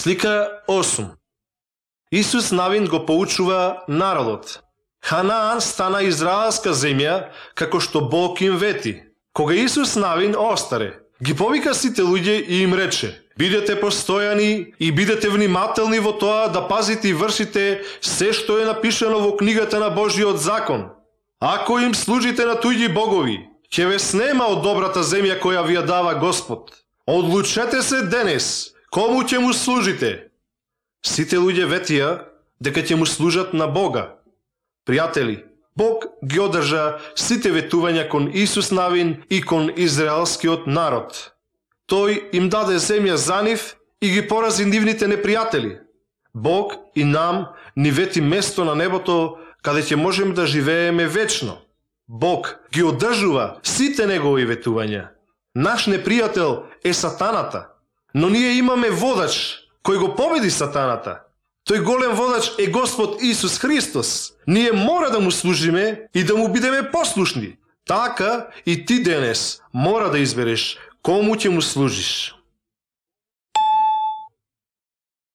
Слика 8. Исус Навин го поучува народот. Ханаан стана израелска земја, како што Бог им вети. Кога Исус Навин остаре, ги повика сите луѓе и им рече: бидете постојани и бидете внимателни во тоа да пазите и вршите се што е напишано во книгата на Божиот закон. Ако им служите на туѓи богови, ќе ве снема од добрата земја која ви ја дава Господ. Одлучете се денес, кому ќе му служите. Сите луѓе ветија дека ќе му служат на Бога. Пријатели, Бог ги одржа сите ветувања кон Исус Навин и кон израелскиот народ. Тој им даде земја за нив и ги порази нивните непријатели. Бог и нам ни вети место на небото каде ќе можеме да живееме вечно. Бог ги одржува сите негови ветувања. Наш непријател е сатаната, но ние имаме водач кој го победи сатаната. Тој голем водач е Господ Исус Христос. Ние мора да му служиме и да му бидеме послушни. Така и ти денес мора да избереш кому ќе му служиш.